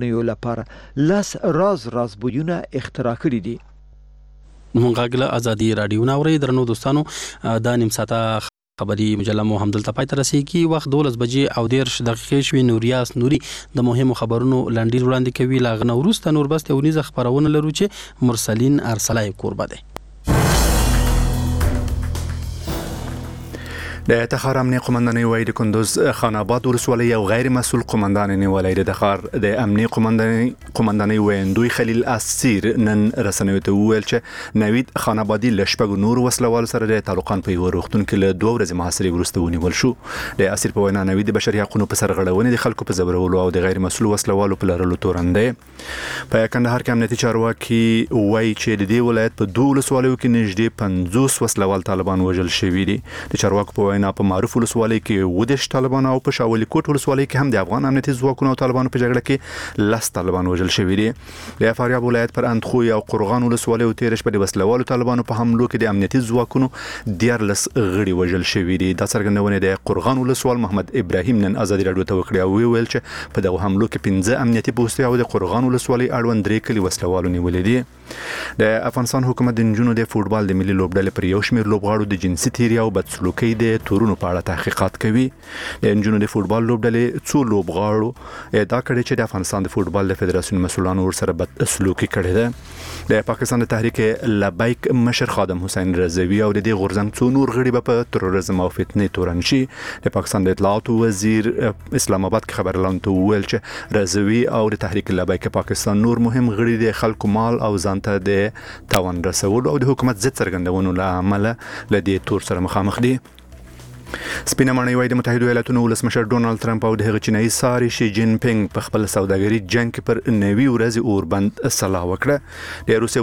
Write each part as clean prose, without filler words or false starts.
لپاره 10 راز راز بویونه اختراع کړي دي. مونږ غږ له ازادي راډیو نه اورئ. درنو دوستانو، دا نیم ساعته خبري مجله مو همدلته پای ته رسیږي. وخت 12 بجې او 30 دقیقې شوې. نوریاس نوري د مهمو خبرونو لنډیز وړاندې کوي. له هغه نه وروسته نور بست اونیزه خپرونه لرو چې مرسلین ارسلای کوربه دی. د تخار امنیه قومندانۍ وایي د کندوز خان آباد ولسوالۍ یو غیر مسؤل قومندان نیولی دی. د تخار د امنیه قومندانۍ ویندوی خلیل اسیر نن رسنیو ته وویل چې نوید خان آبادي له 6 نورو وسلهوالو سره د تالقان په یوه روغتون کې له 2 ورځې محاصرې وروسته ونیول شو. د اسیر په وینا نوید د بشري حقونو په سرغړونې، د خلکو په ځورولو او د غیر مسؤل وسلهوالو په لرلو تورن دی. په کندهار کې امنیتي چارواکي وایي چې د دې ولایت په 2 ولسوالیو کې نږدې 50 وسلهوال طالبان وژل شوي دي. د چارواکو په وینا په معروف ولسوالۍ کې 37 طالبان او په شاولي کوټ ولسوالۍ کې هم د افغان امنیتي ځواکونو او طالبانو په جګړه کې 10 طالبان وژل شوي دي. د فاریاب ولایت پر اندخوی او قرغان ولسوالیو تېره شپه د وسلهوالو طالبانو په حملو کې د امنیتي ځواکونو 13 غړي وژل شوي دي. دا څرګندونې د قرغان ولسوال محمد ابراهیم نن ازادي راډیو ته وکړې او ویې ویل چې په دغو حملو کې 5 امنیتي پوستې او د قرغان ولسوالۍ اړوند 3 کلي وسلهوالو نیولي دي. د افغانستان حکومت د نجونو د فوټبال د ملي لوبډلې پر یو شمېر لوبغاړو د جنسي تېري او بدسلوکۍ د تورونو په اړه تحقیقات کوي. د نجونو د فوټبال لوبډلې څو لوبغاړو ادعا کړې چې د افغانستان د فوټبال د فدراسیون مسؤلانو ورسره بدسلوکي کړې ده. د پاکستان د تحریک لبیک مشر خادم حسین رضوي او د دې غورځنګ څو نور غړي به په تروریزم او فتنې تورن شي. د پاکستان د اطلاعاتو وزیر اسلام آباد کې خبریالانو ته وویل چې رضوي او د تحریک لبیک پاکستان نور مهم غړي د خلکو مال او ځان ته د تاوان رسولو او د حکومت ضد څرګندونو له امله له دې تور سره مخامخ دي. سپینه ماڼۍ وایي د متحدو ایالتونو ولسمشر ډونالد ترمپ او د هغه چینایي ساري شي جین پینګ په خپل سوداګري جنګ کې پر 90 ورځې اوربند سلا وکړه. د روسیې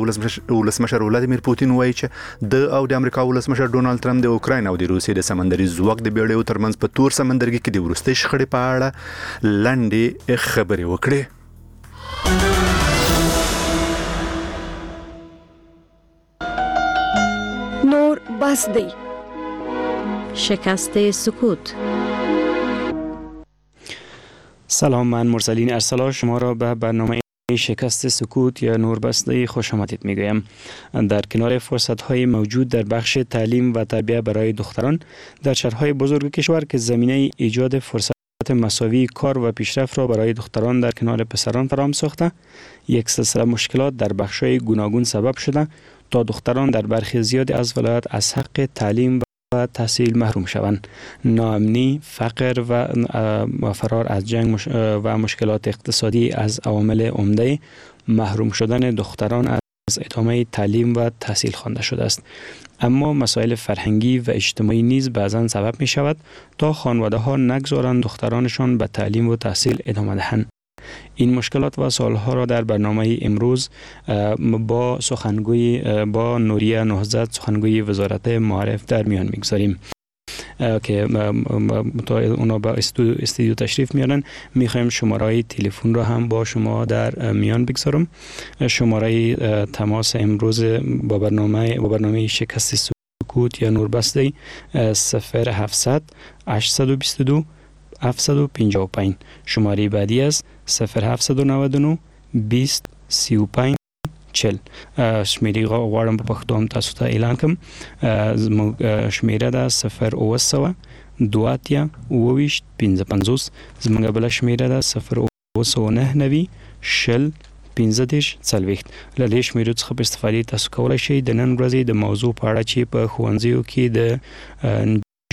ولسمشر ولادیمیر پوتین وایي چې د او د امریکا ولسمشر ډونالد ترمپ د اوکراین او د روسیې د سمندري ځواک د بیړیو ترمنځ په تور سمندرګي کې د وروستۍ شخړې په اړه لنډې خبرې وکړې. نور بس دی. شکست سکوت. سلام، من مرسلین ارسلا شما را به برنامه شکست سکوت یا نور بسته خوش آمدید میگویم. در کنار فرصت های موجود در بخش تعلیم و تربیه برای دختران در شهرهای بزرگ کشور که زمینه ایجاد فرصت مساوی کار و پیشرفت را برای دختران در کنار پسران فراهم ساخته، یک سلسله مشکلات در بخش‌های گوناگون سبب شده تا دختران در برخی زیاد از ولایت از حق تعلیم و تحصیل محروم شوند. ناامنی، فقر و فرار از جنگ و مشکلات اقتصادی از عوامل عمده محروم شدن دختران از ادامه تعلیم و تحصیل خوانده شده است. اما مسائل فرهنگی و اجتماعی نیز بعضا سبب می شود تا خانواده ها نگذارند دخترانشان به تعلیم و تحصیل ادامه دهند. این مشکلات و سوالها را در برنامه امروز با سخنگوی با نوریه نهضت سخنگوی وزارت معارف در میان میگذاریم که تا اونا به استودیو تشریف میارن. میخوایم شماره تلفن را هم با شما در میان بگذارم. شماره تماس امروز با برنامه شکست سکوت یا نوربسته 0700 822 755. شماره بعدی است 0799 20 35 40. شمیرې غواړم په پښتو هم تاسو ته اعلان کړم. زموږ شمیره ده 0700 2 28 55. زموږ بله شمیره ده 0799 20 15 40. له دې شمیرو څخه په استفادې تاسو کولی شئ د نن ورځې د موضوع په اړه چې په ښوونځیو کې د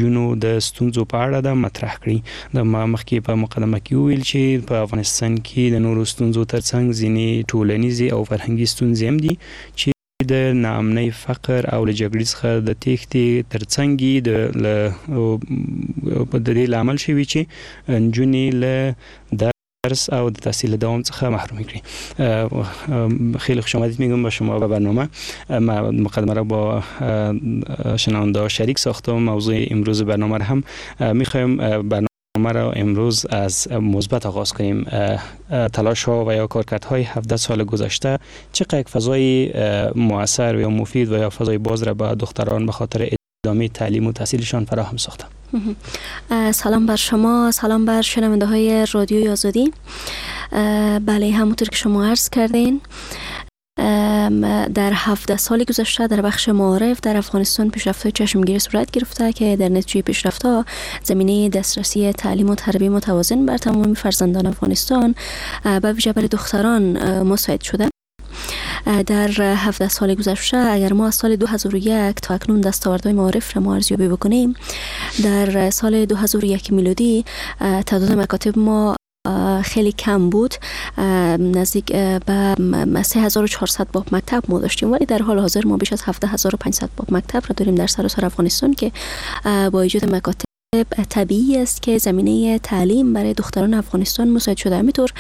نجونو د ستونزو په اړه ده مطرح کړي. د ما مخکې په مقدمه کې وویل چې په افغانستان کې د نورو ستونزو ترڅنګ ځینې ټولنیزې او فرهنګي ستونزې هم دي چې د ناامنۍ، فقر او له جګړې څخه د تېښتې ترڅنګ د دې لامل شوي چې نجونې له درس او د تحصیل دوام څخه محروم کړي. خیلی خوش آمدید میگم با شما به برنامه. ما مقدمه را با شنونده شریک ساختم. موضوع امروز برنامه را هم میخوایم برنامه را امروز از مثبت آغاز کنیم. تلاش ها و یا کارکردهای 17 سال گذشته چقدر یک فضای موثر و یا مفید و یا فضای باز را به دختران به خاطر ادامه تعلیم و تحصیلشان فراهم ساخته؟ سلام بر شما، سلام بر شنونده های رادیوی آزادی. بله، همونطور که شما عرض کردین، در 17 سال گذشته در بخش معارف در افغانستان پیشرفت‌های چشمگیر صورت گرفته که در نتیجه پیشرفت‌ها زمینه دسترسی تعلیم و تربیه متوازن بر تمام فرزندان افغانستان به ویژه بر دختران مساعد شده. در 17 سال گذشته اگر ما از سال 2001 تا اکنون دستاوردهای معارف را ما ارزیابی بکنیم، در سال 2001 میلادی تعداد مکاتب ما خیلی کم بود، نزدیک به 3400 باب مکتب ما داشتیم، ولی در حال حاضر ما بیش از 17500 باب مکتب را داریم در سراسر افغانستان که با ایجاد مکاتب طبیعی است که زمینه تعلیم برای دختران افغانستان مساعد شده. همینطور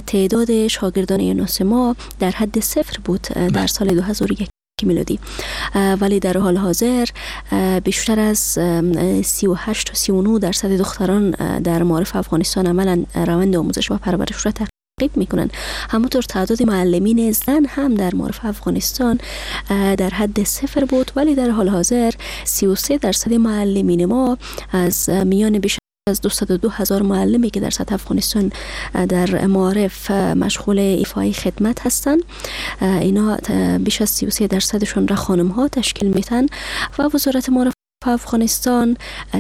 تعداد شاگردان یونس ما در حد 0 بود در سال 2001 میلادی، ولی در حال حاضر بیشتر از 38 تا 39% دختران در معارف افغانستان عملا روند آموزش و پرورش را تعقیب میکنن. همونطور تعداد معلمین زن هم در معارف افغانستان در حد 0 بود، ولی در حال حاضر 33% معلمین ما از میان بیش از 202,000 معلمی که در سطح افغانستان در معارف مشغول ایفای خدمت هستند، اینا بیش از 33% را خانم ها تشکیل میتن و وزارت معارف افغانستان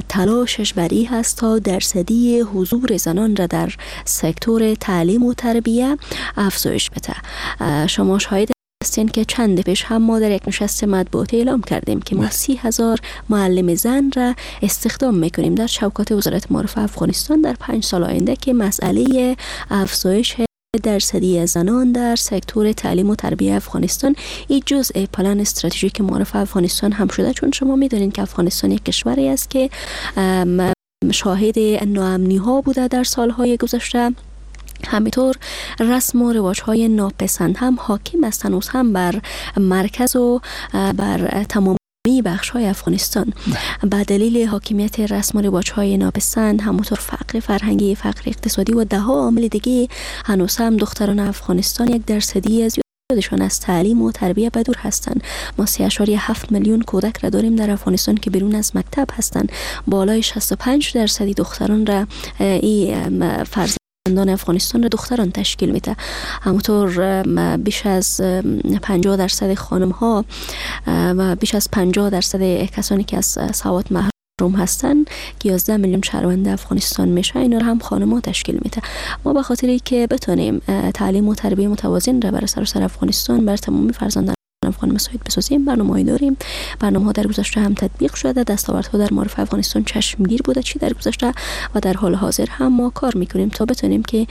تلاشش بر این هست تا درصدی حضور زنان را در سکتور تعلیم و تربیه افزایش بده. شما شاهد هستین که چند پیش هم ما در یک نشست مطبوعاتی اعلام کردیم که ما 30,000 معلم زن را استخدام میکنیم در چوکات وزارت معارف افغانستان در 5 سال آینده که مسئله افزایش درصدی زنان در سکتور تعلیم و تربیه افغانستان این جزء پلان استراتژیک معارف افغانستان هم شده. چون شما میدونین که افغانستان یک کشوری است که شاهد ناامنی ها بوده در سالهای گذشته، همینطور رسم و رواج های ناپسند هم حاکم است هنوز هم بر مرکز و بر تمامی بخش های افغانستان. به دلیل حاکمیت رسم و رواج های ناپسند، همونطور فقر فرهنگی، فقر اقتصادی و ده ها عامل دیگه، هنوز هم دختران افغانستان یک درصدی از زیادشان از تعلیم و تربیه بدور هستند. ما 3.7 میلیون کودک را داریم در افغانستان که بیرون از مکتب هستند. بالای 65% دختران را این فرزندان افغانستان را دختران تشکیل میده. همونطور بیش از 50% خانم ها و بیش از 50% کسانی که از سواد محروم هستند که 11 میلیون شهروند افغانستان میشه، اینا را هم خانم ها تشکیل میده. ما به خاطری که بتونیم تعلیم و تربیه متوازن را برای سراسر افغانستان بر تمام فرزندان افغان مساعد بسازیم، برنامه‌ای داریم. برنامه‌ها در گذشته هم تطبیق شده، دستاوردها در معارف افغانستان چشمگیر بوده چی در گذشته و در حال حاضر هم ما کار میکنیم تا بتونیم که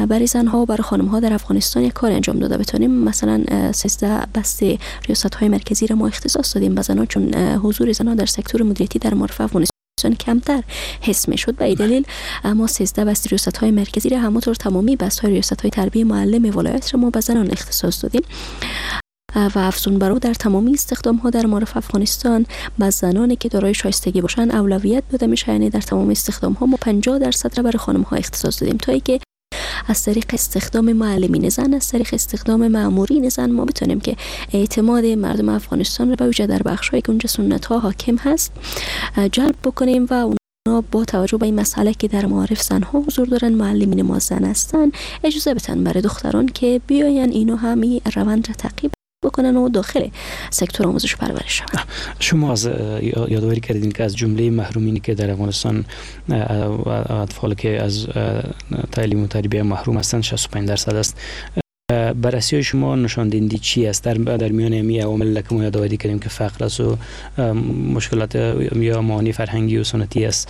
برای زنها و برای خانم‌ها در افغانستان یک کار انجام داده بتونیم. مثلا 13 بسته ریاست‌های مرکزی را ما اختصاص دادیم به زنان، چون حضور زنان در سکتور مدیریتی در معارف افغانستان کمتر حس میشد. به این دلیل ما 13 بست ریاست‌های مرکزی را، همونطور تمامی بست‌های ریاست‌های تربیه معلم ولایت را ما به زنان اختصاص دادیم و افزون بر او در تمامی استخدام ها در معارف افغانستان به زنانی که دارای شایستگی باشند اولویت داده میشه. یعنی در تمام استخدام ها ما 50% را برای خانم ها اختصاص دادیم تا اینکه از طریق استخدام معلمین زن، از طریق استخدام مامورین زن ما بتونیم که اعتماد مردم افغانستان را به ویژه در بخش هایی که اونجا سنت ها حاکم هست جلب بکنیم و اونا با توجه به این مسئله که در معارف زنها حضور دارن، معلمین ما زن هستن، اجازه بدن برای دختران که بیاین اینو همین روند را تعقیب بکنن و داخل سکتور آموزش پرورش شوند. شما از یادآوری کردین که از جمله محرومینی که در افغانستان و اطفال که از تعلیم و تربیه محروم هستند 65% است. بررسی شما نشان دهنده چی است در میان امی عوامل که ما یادآوری کردیم که فقر است و مشکلات یا معانی فرهنگی و سنتی است،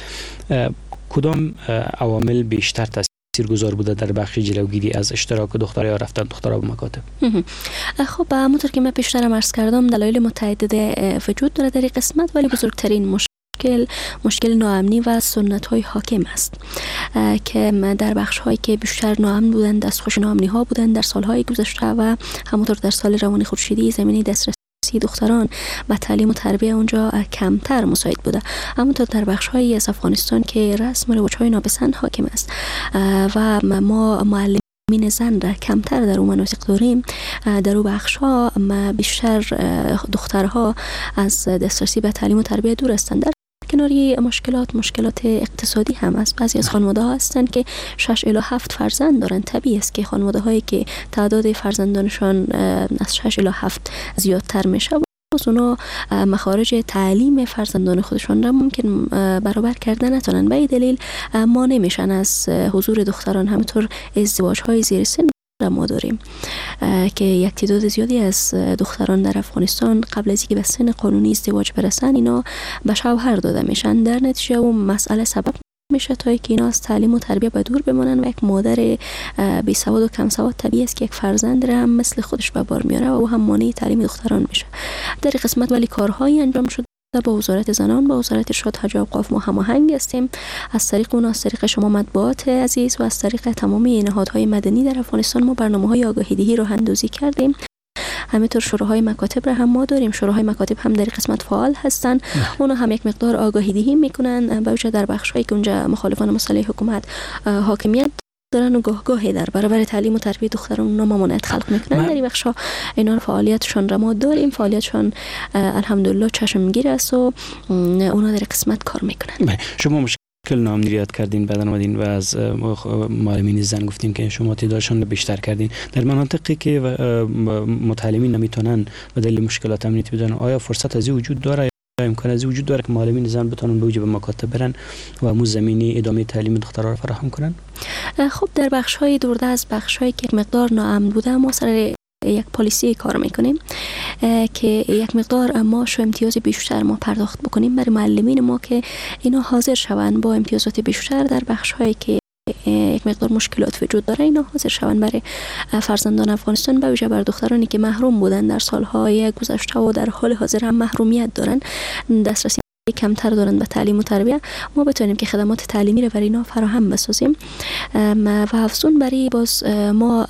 کدام عوامل بیشتر تاثیرگذار بوده در بخش جلوگیری از اشتراک دخترها یا رفتن دخترها به مکاتب؟ خب همونطور که من پیشترم عرض کردم دلایل متعدد وجود داره در این قسمت، ولی بزرگترین مشکل ناامنی و سنت های حاکم است که در بخش هایی که بیشتر ناامن بودن، دستخوش ناامنی ها بودن در سالهای گذشته و همونطور در سال روان خورشیدی زمینه دسترسی دختران به تعلیم و تربیه اونجا کمتر مساعد بوده. همونطور در بخش هایی از افغانستان که رسم و رواج های ناپسند حاکم است و ما معلمین زن را کمتر در اون مناطق داریم، در اون بخش ها بیشتر دخترها از دسترسی به تعلیم و تربیت دور هستند. در کناری مشکلات اقتصادی هم از بعضی از خانواده ها هستند که 6 الی 7 فرزند دارند. طبیعی است که خانواده هایی که تعداد فرزندانشان از 6 الی 7 زیادتر میشه، باز اونا مخارج تعلیم فرزندان خودشان را ممکن برابر کرده نتونن. به این دلیل مانع میشن از حضور دختران. همینطور ازدواج های زیر سن ما داریم که یک تعداد زیادی از دختران در افغانستان قبل از اینکه به سن قانونی ازدواج برسن اینا به شوهر داده میشن. در نتیجه اون مسئله سبب میشه تا اینکه اینا از تعلیم و تربیت به دور بمانن و یک مادر بی سواد و کم سواد طبیعی است که یک فرزند را هم مثل خودش به بار میاره و او هم مانع تعلیم دختران میشه. در قسمت ولی کارهایی انجام شد با وزارت زنان، با وزارت ارشاد حج و اوقاف ما هماهنگ هستیم. از طریق اون، از طریق شما مطبوعات عزیز و از طریق تمامی نهادهای مدنی در افغانستان ما برنامه‌های آگاهی دهی راه اندازی کردیم. همینطور شوراهای مکاتب را هم ما داریم. شوراهای مکاتب هم در قسمت فعال هستن. اونا هم یک مقدار آگاهی دهی میکنن، به ویژه در بخش‌هایی که اونجا مخالفان مسئله حکومت حاکمیت دارن و گاه گاهی در برابر تعلیم و تربیت دختران اونا ممانعت خلق میکنن. در این بخش‌ها اینا فعالیتشان را ما داریم. فعالیتشان الحمدلله چشمگیر است و اونا در قسمت کار میکنن. شما مشکل ناامنی یاد کردین، بعدن اومدین و از معلمین زن گفتین که شما تعدادشان رو بیشتر کردین. در مناطقی که متعلمین نمیتونن به دلیل مشکلات امنیتی بدن، آیا فرصت از وجود داره یا امکان از وجود داره که معلمین زن بتونن به وجه به مکاتب برن و مو زمینی ادامه تعلیم دخترها رو فراهم کنن؟ خب در بخش های دورده از بخش هایی که مقدار ناامن بوده ما سر یک پالیسی کار میکنیم که یک مقدار معاش و امتیاز بیشتر ما پرداخت بکنیم برای معلمین ما که اینا حاضر شوند با امتیازات بیشتر در بخش هایی که یک مقدار مشکلات وجود داره، اینا حاضر شوند برای فرزندان افغانستان، به ویژه بر دخترانی که محروم بودن در سالهای گذشته و در حال حاضر هم محرومیت دارن، دسترسی کمتر دارن به تعلیم و تربیت، ما بتونیم که خدمات تعلیمی رو برای اینا فراهم بسازیم. و افزون برای باز ما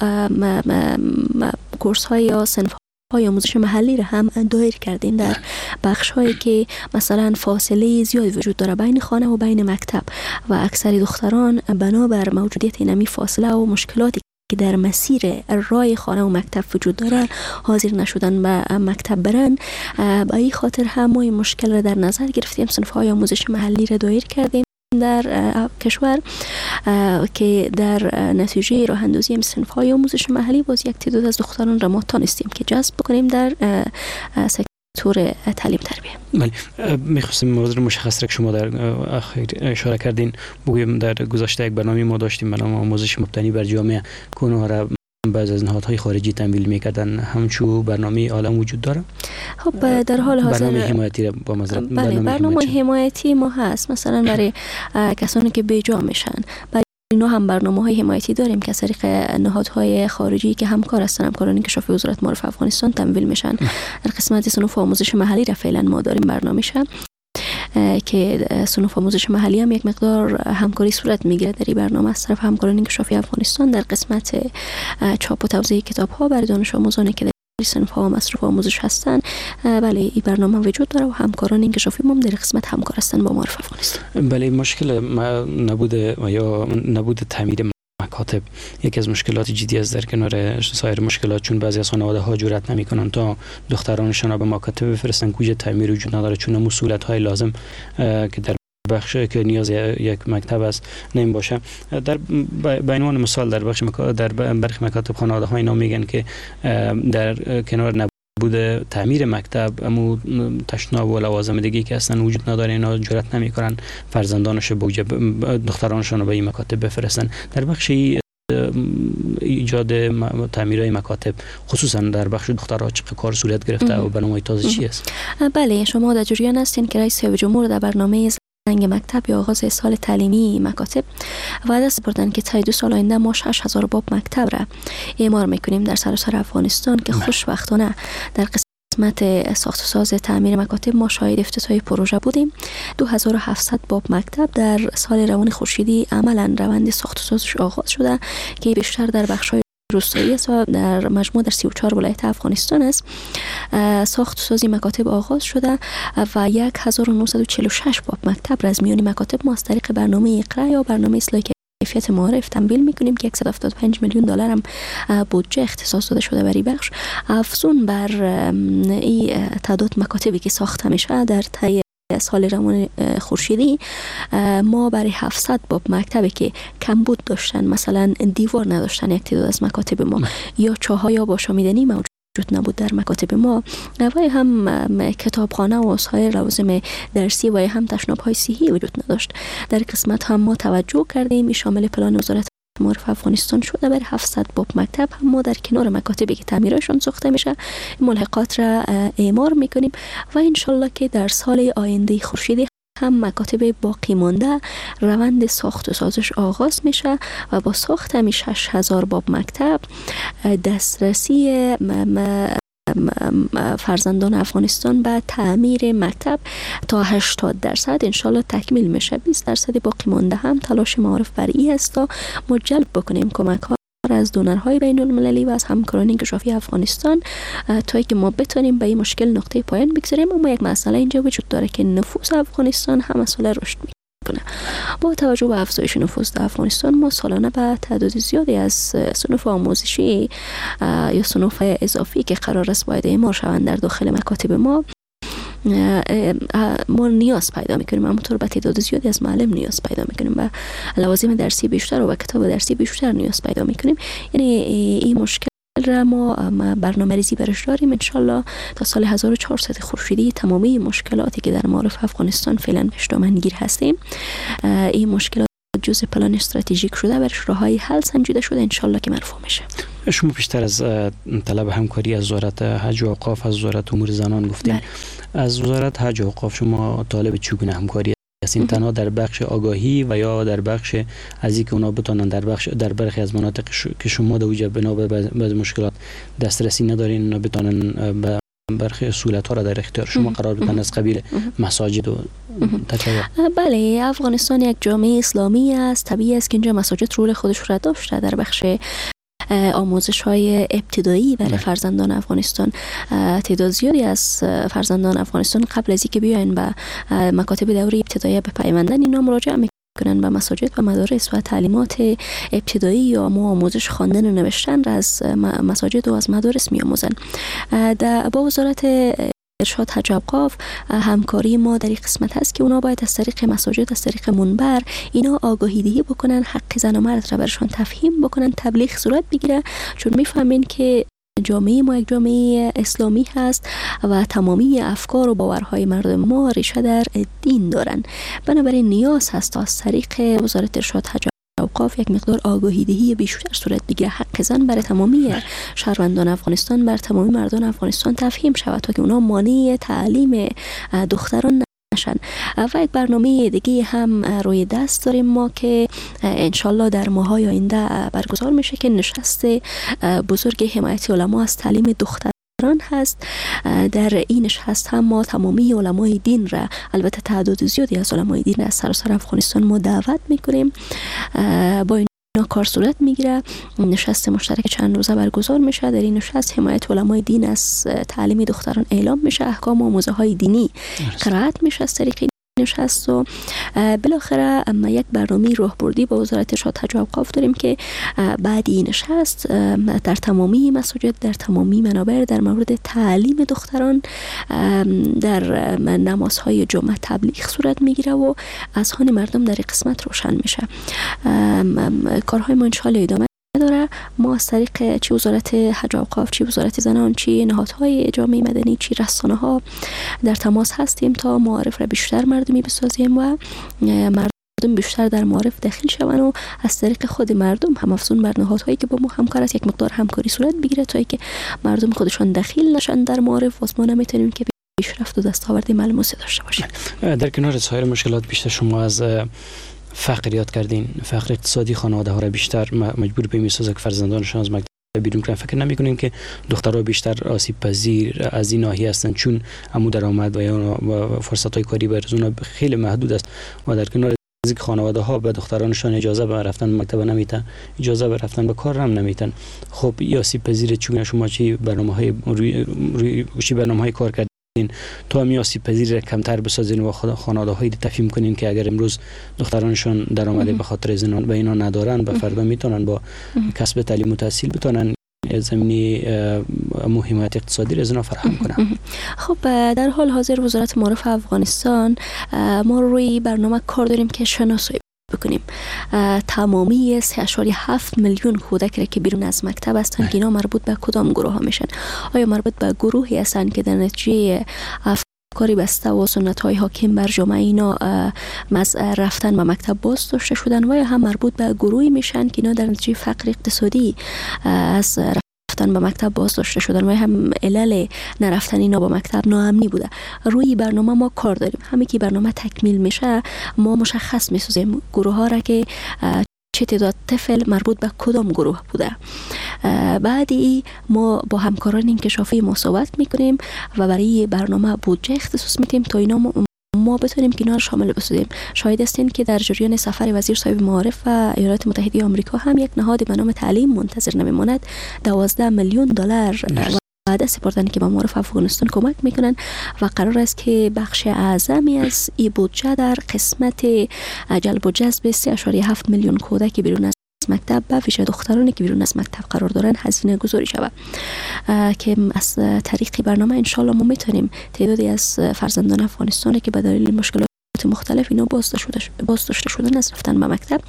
کورس های یا صنف های آموزش محلی را هم دایر کردیم در بخش هایی که مثلا فاصله زیاد وجود داره بین خانه و بین مکتب و اکثر دختران بنابر موجودیت اینمی فاصله و مشکلاتی که در مسیر راه خانه و مکتب وجود داره حاضر نشدن به مکتب برن. به این خاطر هم ما این مشکل را در نظر گرفتیم، صنف های آموزش محلی را دایر کردیم در کشور که در نتیجه راه اندازی صنف های آموزش محلی باز یک تعداد از دختران را ما تانستیم که جذب بکنیم در سکتور تعلیم تربیه. بله، میخواستیم موضوع مشخص را که شما در اخیر اشاره کردین بگویم. در گذشته یک برنامه ما داشتیم به نام آموزش مبتنی بر جامعه که اونها را بعض از نهادهای خارجی تمویل میکردن. همچو برنامه عالم وجود داره؟ خب در حال حاضر برنامه حمایتی را با معذرت، بله، برنامه حمایتی ما هست، مثلا برای کسانی که بیجا میشن، برای اینا هم برنامه‌های حمایتی داریم که از طریق نهادهای خارجی که همکار هستن، همکاران انکشاف وزارت معارف افغانستان تمویل میشن. در قسمت صنوف آموزش محلی را فعلا ما داریم برنامه‌ش که صنوف آموزش محلی هم یک مقدار همکاری صورت میگیره در این برنامه از طرف همکاران انکشافی افغانستان در قسمت چاپ و توزیع کتاب ها برای دانش آموزانی که در صنف ها مصروف آموزش هستن. بله، این برنامه وجود داره و همکاران انکشافی ما در قسمت همکار هستن با معارف افغانستان. بله، مشکل نبود یا نبود تعمیر مکاتب یکی از مشکلات جدی است در کنار سایر مشکلات، چون بعضی از خانواده ها جرأت نمیکنن تا دخترانشان را به مکاتب بفرستن، کوجه تعمیر وجود نداره، چون مسئولیت های لازم که در بخش که نیاز یک مکتب است نمی باشه. در به عنوان مثال در بخش در برخی مکاتب خانواده ها اینا میگن که در کنار نبود تعمیر مکتب امو تشناب و لوازم دیگه که اصلا وجود نداره، اینا جرأت نمیکنن فرزندانش به دخترانشون رو به این مکاتب بفرستن. در بخش ایجاد تعمیرهای مکاتب خصوصا در بخش دخترها چه کار صورت گرفته و برنامه‌های تازه چی است؟ بله، شما در جریان هستین که رئیس جمهور در برنامه زنگ مکتب یا آغاز سال تعلیمی مکاتب وعده سپردن که تا 2 سال آینده ما 6000 باب مکتب را اعمار میکنیم در سراسر افغانستان که خوشبختانه در قسمت ساخت و ساز تعمیر مکاتب ما شاهد افتتاح پروژه بودیم. 2700 باب مکتب در سال روان خورشیدی عملا روند ساخت و سازش آغاز شده که بیشتر در بخش‌های روستایی است و در مجموع در 34 ولایت افغانستان است. ساخت و سازی مکاتب آغاز شده و 1946 باب مکتب را از میان مکاتب ما از طریق برنامه اقرا یا برنامه اصلاح کیفیت معارف تمویل میکنیم که 175 میلیون دلار هم بودجه اختصاص داده شده برای بخش. افزون بر این تعداد مکاتبی که ساخته میشه در طی سال روان خورشیدی، ما برای 700 باب مکتبی که کمبود داشتن، مثلا دیوار نداشتن یک تعداد از مکاتب ما، یا چاهای آب آشامیدنی موجود نبود در مکاتب ما، و هم کتابخانه و سایر لوازم درسی و هم تشناب‌های صحی وجود نداشت، در قسمت هم ما توجه کردیم. شامل پلان وزارت معارف افغانستان شده. برای 700 باب مکتب هم ما در کنار مکاتبی که تعمیرشون ساخته میشه ملحقات را اعمار میکنیم و انشالله که در سال آینده خورشیدی هم مکاتب باقی مانده روند ساخت و سازش آغاز میشه و با ساخت همی 6000 باب مکتب دسترسی فرزندان افغانستان به تعمیر مکتب تا 80% انشالله تکمیل میشه. 20% باقی مانده هم تلاش معارف بر ای است تا ما جلب بکنیم کمک ها از دونرهای بین المللی و از همکاران انکشافی افغانستان تا که ما بتونیم به این مشکل نقطه پایان بگذاریم. اما یک مسئله اینجا وجود داره که نفوس افغانستان هم سال رشد میکنه. با توجه به افزایش نفوس در افغانستان ما سالانه به تعداد زیادی از صنوف آموزشی یا صنوف اضافی که قرار است باید اعمار شوند در داخل مکاتب ما ما نیاز پیدا میکنیم. همونطور به تعداد زیادی از معلم نیاز پیدا میکنیم، به لوازم درسی بیشتر و به کتاب درسی بیشتر نیاز پیدا میکنیم. یعنی این مشکل را ما برنامه ریزی برش داریم. انشالله تا سال 1400 خورشیدی تمامی مشکلاتی که در معارف افغانستان فعلا بهش دامنگیر هستیم، این مشکلات جزء پلان استراتژیک شده، برش راههای حل سنجیده شده، انشالله که مرفوع میشه. شما پیشتر از طلب همکاری از وزارت حج و اوقاف، از وزارت امور زنان گفتین. بله. از وزارت حج و اوقاف شما طالب چگونه همکاری هستین؟ تنها در بخش آگاهی و یا در بخش از اینکه اونا بتونن در برخی از مناطق که شما در اوجه بنا به بعض مشکلات دسترسی ندارین، اونا بتونن به برخی سهولت ها را در اختیار شما قرار بدن از قبیل مساجد و تکایا؟ بله، افغانستان یک جامعه اسلامی است، طبیعی است که اینجا مساجد رول خودش را داشته در بخش آموزش های ابتدایی برای فرزندان افغانستان. تعداد زیادی از فرزندان افغانستان قبل از اینکه بیاین به مکاتب دوره ابتدایی بپیوندن، اینا مراجعه میکنن به مساجد و مدارس و تعلیمات ابتدایی یا ما آموزش خواندن و نوشتن را از مساجد و از مدارس میآموزن. با وزارت ارشاد حج اوقاف همکاری ما در این قسمت هست که اونا باید از طریق مساجد، از طریق منبر اینا آگاهی دهی بکنن، حق زن و مرد را برشان تفهیم بکنن، تبلیغ صورت بگیره، چون میفهمین که جامعه ما یک جامعه اسلامی هست و تمامی افکار و باورهای مردم ما ریشه در دین دارن. بنابراین نیاز هست از طریق وزارت ارشاد حج اوقاف یک مقدار آگاهی دهی بیشتر صورت بگیره، حق زن برای تمامی شهروندان افغانستان، بر تمامی مردان افغانستان تفهیم شود تا که اونا مانع تعلیم دختران نشن. و یک برنامه دیگه هم روی دست داریم ما که انشالله در ماهای آینده برگزار میشه که نشست بزرگ حمایت علما از تعلیم دختران هست. در این نشست هم ما تمامی علمای دین را، البته تعداد زیادی از علمای دین از سراسر افغانستان ما دعوت میکنیم، با اینا کار صورت میگیره. نشست مشترک چند روزه برگزار میشه. در این نشست حمایت علمای دین از تعلیم دختران اعلام میشه، احکام و آموزه های دینی قرائت میشه از طریق نشست و بالاخره اما یک برنامه راهبردی با وزارت ارشاد حج و اوقاف داریم که بعد این نشست در تمامی مساجد، در تمامی منابر در مورد تعلیم دختران در نمازهای جمعه تبلیغ صورت میگیره و اذهان مردم در قسمت روشن میشه. کارهای ما انشالله ادامه داره. ما از طریق چی وزارت حج و اوقاف، چی وزارت زنان، چی نهادهای جامعه مدنی، چی رسانه ها در تماس هستیم تا معارف را بیشتر مردمی بسازیم و مردم بیشتر در معارف داخل شوند و از طریق خود مردم هم افزون بر نهادهایی که با ما همکار است یک مقدار همکاری صورت بگیره تا اینکه مردم خودشان دخیل نشن در معارف و ما نمیتونیم که پیشرفت و دستاورد ملموسی داشته باشیم. در کنار سایر مشکلات بیشتر شما از فقر یاد کردین، فقر اقتصادی خانواده ها را بیشتر مجبور به میسازه که فرزندانشان از مکتب بیرون کنن. فکر نمی‌کنین که دخترها بیشتر آسیب پذیر از این ناحیه هستند چون عمو درآمد و یا فرصت های کاری برای اونها خیلی محدود است و در کنار از اینکه خانواده ها به دخترانشان اجازه به رفتن مکتب نمیتن، اجازه به رفتن به کار هم نمیتن. خب این آسیب پذیر چون شما چی برنامه‌های روی چی برنامه‌های کار تا همی آسیب پذیری را کمتر بسازین و خانواده هایی تفهیم کنین که اگر امروز دخترانشان درآمد به خاطر زنان به اینا ندارن، به فردا میتونن با کسب تعلیم و تحصیل بتونن زمینی حمایت اقتصادی را از اینا فراهم کنن. خب، در حال حاضر وزارت معارف افغانستان ما روی برنامه کار داریم که شناسایی بکنیم تمامی 3.7 میلیون کودک را که بیرون از مکتب هستند که اینا مربوط به کدام گروه ها میشن. آیا مربوط به گروهی هستند که در نتیجه افکاری بسته و سنت های حاکم بر جامعه اینا از رفتن به مکتب باز داشته شدن، و یا هم مربوط به گروهی میشن که اینا در نتیجه فقر اقتصادی از رفتن به مکتب باز داشته شدن و هم علل نرفتن اینا با مکتب ناامنی بوده. روی برنامه ما کار داریم. همین که برنامه تکمیل میشه، ما مشخص میسازیم گروه ها را که چه تعداد طفل مربوط به کدام گروه بوده. بعد ای ما با همکاران انکشافی ما صحبت میکنیم و برای برنامه بودجه اختصاص میدیم تا اینا ما بتونیم که اینا رو شامل بسازیم. شاهد هستین که در جریان سفر وزیر صاحب معارف و ایالات متحده آمریکا هم یک نهاد به نام تعلیم منتظر نمیماند 12 میلیون دلار وعده سپردن که به معارف افغانستان کمک میکنن و قرار است که بخش اعظمی از این بودجه در قسمت جلب و جذب 3.7 میلیون کودک بیرون از مکتب، به ویژه دخترانی که بیرون از مکتب قرار دارن، هزینه گذاری شود که از طریق برنامه انشالله ما میتونیم تعدادی از فرزندان افغانستان که به دلیل مشکلات مختلف اینا باز داشته شدن از رفتن به مکتب،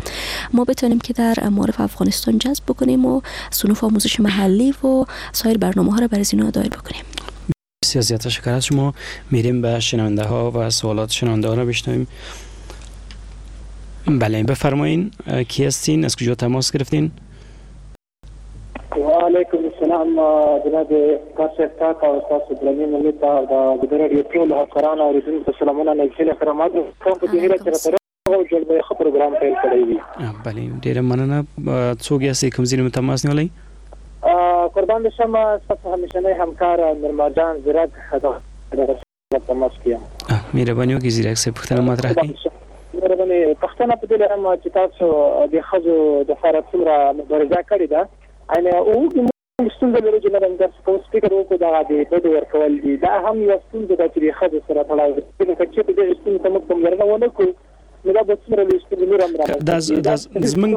ما بتونیم که در معارف افغانستان جذب بکنیم و صنوف آموزش محلی و سایر برنامه ها را برای اینا دایر بکنیم. بسیار زیاد تشکر از شما. میریم به شنونده ها و سوالات شنونده ها را بشنویم. بله، بفرمایین، کی هستین، از کجا تماس گرفتین؟ وعلیکم السلام جناب کار صاحب تاته او ستاسو درنې ملي ته او د ګدر راډیو ټولو همکارانو اورېدونکو ته سلامونه، نیک هیله خدمات کوم، په دې هیله چې راته روغ او جوړ به یې ښه پروګرام پیل کړی وي. بله، ډېره مننه. څوک یاستئ، کوم ځای نه مو تماس نیولی؟ قربان دې شم، ستاسو همیشنی همکار نرمال جان ځیرک دغه تماس کې یم. مهرباني وکړئ ځیرک صاحب، پوښتنه مطرح کړئ. مهرباني، پوښتنه په دې لرم چې تاسو د ښځو دپاره څومره مبارزه کړې ده. یعنې موږ ستونزه لرو چې نه درس کوم فکر وکړو، دغه د بدو ورکول دي، دا هم یوه ستونزه ده چې د ښځو سره تړاو لري. که چېرته دغې ستونزې ته موږ پاملرنه ونه کړو، نو دا به څومره لوی ستونزې نور هم رامنځته کړي. دا زموږ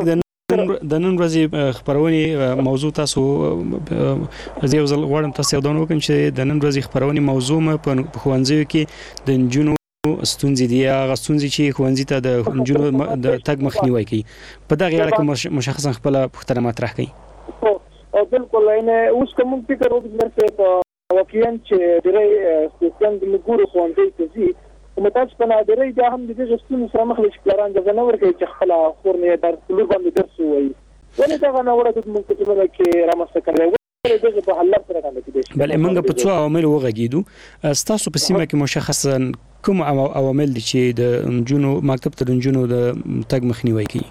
د نن ورځې خپرونې موضوع، تاسو زه یو ځل غواړم تاسو یادونه وکړم چې د نن ورځې خپرونې موضوع مو په ښوونځیو کې د نجونو ستونزې دي، هغه ستونزې چې ښوونځي ته د نجونو د تګ مخنیوی کوي. په دغه اړه کې مشخصا خپله پوښتنه مطرح کړئ. بالکل، یعنې اوس که موږ فکر وکړو درسه په واقعا چې ډېری خویندې موږ ګورو ښوونځیو ته ځي، خو متاسفانه ډېری بیا هم د دغې ستونزې سره مخ دي چې پلاران اجازه نه ورکوي چې خپله خور مې درس لور باندې درس ووایي. ولې دغه ناوړه دود موږ په ټولنه کې رامنځته کړی؟ ولې دغې په حل لار سره باندې کېدای شي؟ بله، موږ په څو عواملو وغږېدو. ستاسو په سیمه کې مشخصا کوم عوامل دي چې د نجونو مکتب ته د نجونو د تګ مخنیوی کوي؟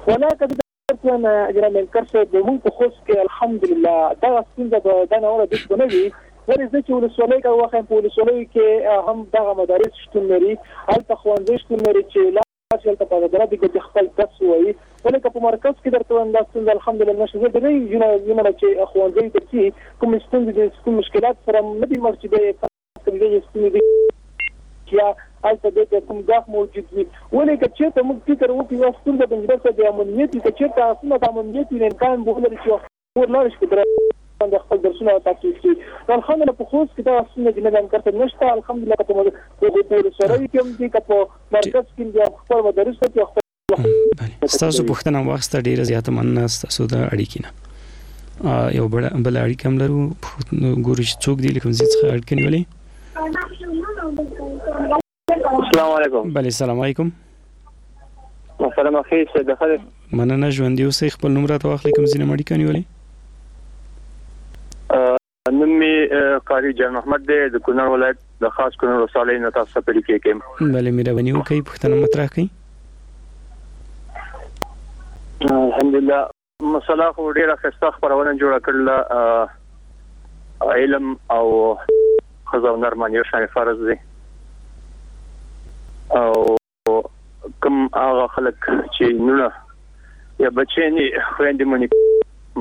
ولا که جناب انکر صاحب، موږ په خوست کې الحمدلله دغه ستونزه به دا ناوړه دود به نه وي. ولې زه چې ولسوالۍ کې وښیم، په ولسوالیو کې هم دغه مدارس شتون لري، هلته ښوونځي شتون لري چې لاړ شي هلته په عدالت کې خپل درس ووایي. ولې که په مرکز کې درته وایم، دا ستونزه الحمدلله نشته. زه ډېری نجونو چې ښوونځیو ته ځي، کومې ستونزې دي، کوم مشکلات سره نه دي مخ چې بیا یې دغې ستونزې دي یا هلته دې ته کوم ګواښ موجود وي. ولې که چېرته موږ فکر وکړو، یوه ستونزه د انجینر صاحب د امنیت وي. که چېرته هغه سیمه د امنیت وي، امکان به ولري چې خور لاړ شي باندې خپل درسونه تعقیب کړي. نو الحمدلله په خوست کې دا ستونزه چې نه انکر ته نشته الحمدلله، که په ولسوالیو کې هم دي، که په مرکز کې هم دي، خپل مدارس ته خپل. ستاسو پوښتنه واخیسته، ډېره زیاته مننه ستاسو د اړیکې نه. یو بله اړیکه هم لرو، ګورو چې څوک دي، له کوم ځای څخه اړیکه نیولې. السلام علیکم. بله، سلام علیکم. محترم اخی سید خالد، مننه، ژوندي اوسئ. خپل نوم راته واخلئ، کوم ځای نه مو اړیکه نیولې؟ نوم مې قاري جان محمد دی، د کونړ ولایت د خاص کونړ ولسوالۍ نه تاسو ته په اړیکه کې یم. بله، مهرباني وکړئ، پوښتنه مطرح کړئ. الحمدلله، مسله خو ډېره ښایسته خپرونه جوړه کړله. علم او ښځه او نر باندې یو شان فرض دی، او کوم هغه خلک چې نونه یا بچیان یې خویندې مو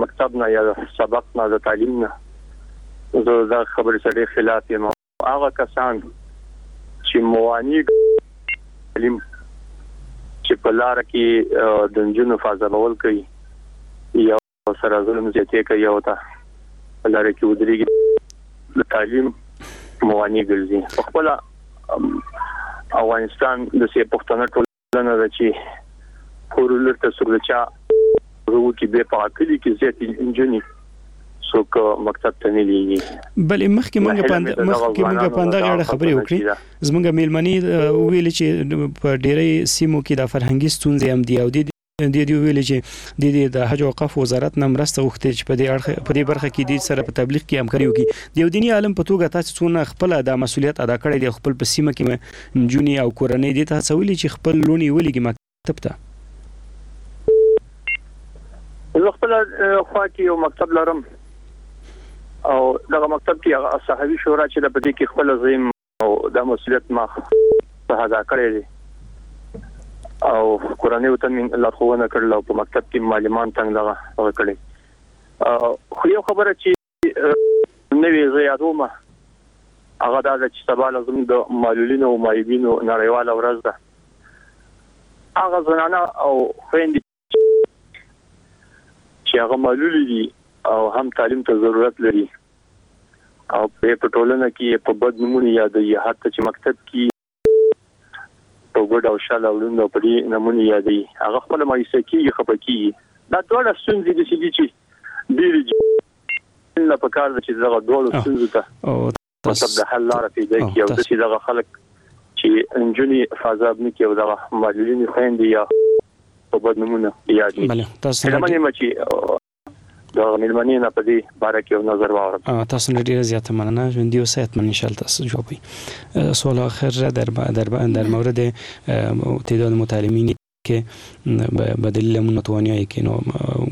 مکتب نه یا سبق نه د تعلیم نه، زه دا خبرې سره ډېر خلاف یم. هغه کسان چې موانع تعلیم چې په لار کې د نجونو فاضلول کوي یا سره ظلم زیاتی کوي او ته په لار کې ودرېږي، د تعلیم موانع ګرځي. په خپله افغانستان د سې پښتنه ټولنه ده چې کور لور ته څوک د چا کې به په کلي کې زیاتې نجونې څوک مکتب ته نه لیږي. بلې، مخکې مونږ په همدغه اړه خبرې وکړې. زمونږ میلمنې وویل چې په ډیری سیمو کې د فرهنګي ستونزې هم دي، او دې ویل چې د حج او اوقاف وزارت نه مرسته غوښتې چې په دې برخه کې دې سره په تبلیغ کې همکاري وکړي. د یو دیني عالم په توګه تاسو څونه خپله دا مسولیت ادا کړی دی، خپل په سیمه کې نجونې او کورنۍ دې ته هڅولي چې خپل لوڼې ولیږي مکتب ته؟ زه خپله خوا کې یو مکتب لرم او دغه مکتب کې هغه صحوي شورا چې ده په دې کې خپله زه یم او دا مسولیت ما ادا کړی دی او کورنیو ته مې لارښوونه کړله او په مکتب کې معلمان څنګه دغه کړی. خو یو خبره چې نوې زه یادوم هغه دا ده چې سبا له زموږ د معلولینو او معیوبینو نړیواله ورځ ده. هغه زنانه او خویندې چې هغه معلولې دي او هم تعلیم ته ضرورت لري او په ټولنه کې په بد نومونو یادوي، حتی چې مکتب کې په ګډ او شل او لوند او په دې نومونو یادوي، هغه خپله مایوسه کېږي، خفه کېږي. دا دواړه ستونزې داسې دي چې ډېرې نه په کار ده چې دغه دواړو ستونزو ته مطلب د حل لاره پیدا کړي او داسې دغه خلک چې نجونې فازاب نه کړي او دغه معلولینې خویندې یا په بد نومونه یاد نه کړي. هیله من یم چې د میلمنې نه په دې باره کې یو نظر واورم. تاسو نه ډیره زیاته مننه، ژوندي اوسئ. حتما ان شاء الله تاسو جواب وي. سوال آخر را در مورد تعداد متعلمینی که به دلیل اون ناتوانیایی که اینا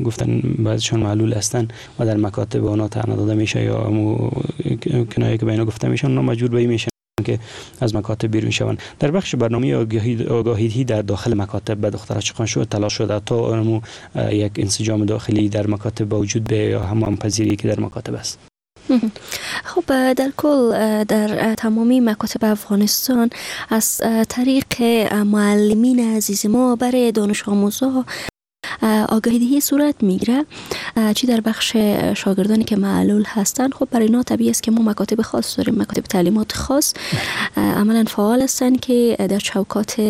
گفتن بعضشان معلول هستن و در مکاتب اونا طعنه داده میشه یا کنایه که به اینا گفته میشه، اونا مجبور به این میشن که از مکاتب بیرون شوند. در بخش برنامه آگاهی در داخل مکاتب به دخترها چقدر شد تلاش شده تا یک انسجام داخلی در مکاتب به وجود بیاید یا هم پذیری که در مکاتب است؟ خب در کل در تمامی مکاتب افغانستان از طریق معلمین عزیز ما برای دانش آموزها آگاهی دهی صورت میگیره، چی در بخش شاگردانی که معلول هستند. خب برای اینا طبیعی است که ما مکاتب خاص داریم، مکاتب تعلیمات خاص عملا فعال هستند که در چوکات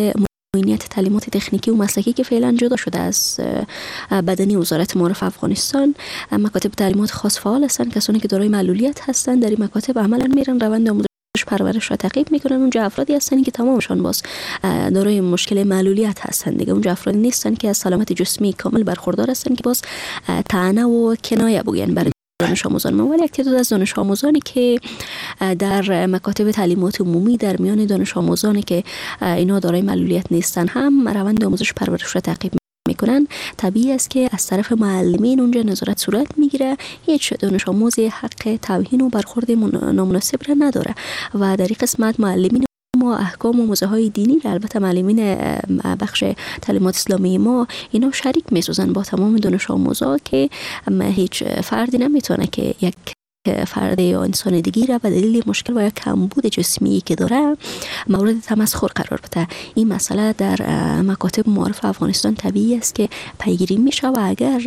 معینیت تعلیمات تکنیکی و مسلکی که فعلا جدا شده از بدنی وزارت معارف افغانستان، مکاتب تعلیمات خاص فعال هستند. کسانی که دارای معلولیت هستند در این مکاتب عملا میرن روند آموزش پرورش را تعقیب میکنن. اونجا افرادی هستن که تمامشان باز دارای مشکل معلولیت هستن دیگه، اونجا افرادی نیستن که از سلامت جسمی کامل برخوردار هستن که باز طعنه و کنایه بگوین برای دانش آموزان ما. ولی یک تعداد از دانش آموزانی که در مکاتب تعلیمات عمومی در میان دانش آموزانی که اینا دارای معلولیت نیستن هم روند آموزش پرورش را تعقیب میکنن. طبیعی است که از طرف معلمین اونجا نظارت صورت میگیره. هیچ دانش آموزی حق توهین و برخورد نامناسب را نداره و در این قسمت معلمین ما احکام و موزه های دینی را، البته معلمین بخش تعلیمات اسلامی ما اینا شریک میسازن با تمام دانش آموزا که هیچ فردی نمیتونه که یک فرد یا انسان دیگه را به دلیل مشکل و یا کمبود جسمی که داره مورد تمسخر قرار بده. این مسئله در مکاتب معارف افغانستان طبیعی است که پیگیری میشه و اگر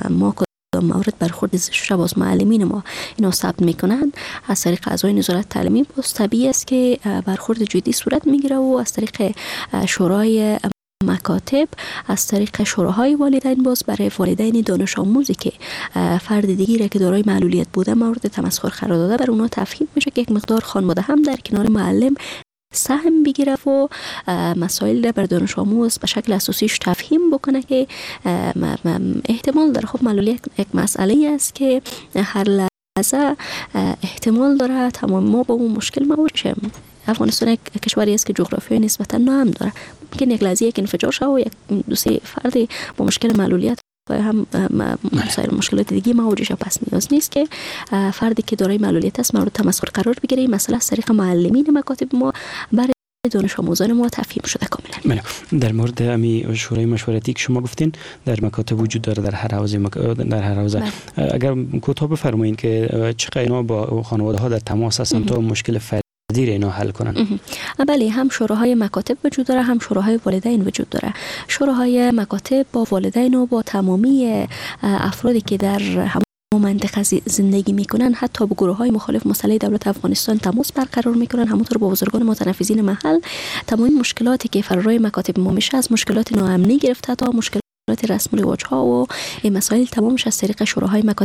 ما مورد برخورد زشت را باز معلمین ما اینا ثبت میکنن از طریق اعضای نظارت تعلیمی، باز طبیعی است که برخورد جدی صورت میگیره و از طریق شورای مکاتب، از طریق شوراهای والدین باز برای والدین دانش آموزی که فرد دیگری را که دارای معلولیت بوده مورد تمسخر قرار داده بر اونا تفهیم میشه که یک مقدار خانواده هم در کنار معلم سهم بگیره و مسائل را بر دانش آموز به شکل اساسیش تفهیم بکنه که احتمال داره. خب معلولیت یک مسئله است که هر لحظه احتمال داره تمام ما با اون مشکل مواجه شیم. افغانستان یک کشوری است که جغرافیای نسبتا ناامن داره، ممکن یک لحظه یک انفجار شه و یک دو سه فرد با مشکل معلولیت و هم سایر مشکلات دیگه مواجه شه. پس نیاز نیست که فردی که دارای معلولیت است مورد تمسخر قرار بگیره. این مسئله از طریق معلمین مکاتب ما برای دانش آموزان ما تفهیم شده کاملا. بله، در مورد امی شورای مشورتی که شما گفتین در مکاتب وجود داره در هر حوزه در هر حوزه، اگر کوتاه بفرمایین که چقدر اینا با خانواده ها در تماس هستن تا مشکل اینا حل کنن؟ بله، هم شوراهای مکاتب وجود داره، هم شوراهای والدین وجود داره. شوراهای مکاتب با والدین و با تمامی افرادی که در هم منطقه زندگی میکنن، حتی با گروه های مخالف مسئله دولت افغانستان تماس برقرار میکنن. همونطور با بزرگان متنفذین محل تمام مشکلاتی که فرارای مکاتب ما میشه، از مشکلات ناامنی گرفته تا مشکلات رسم و رواج ها و این مسائل، تمامش از طریق شوراهای مکاتب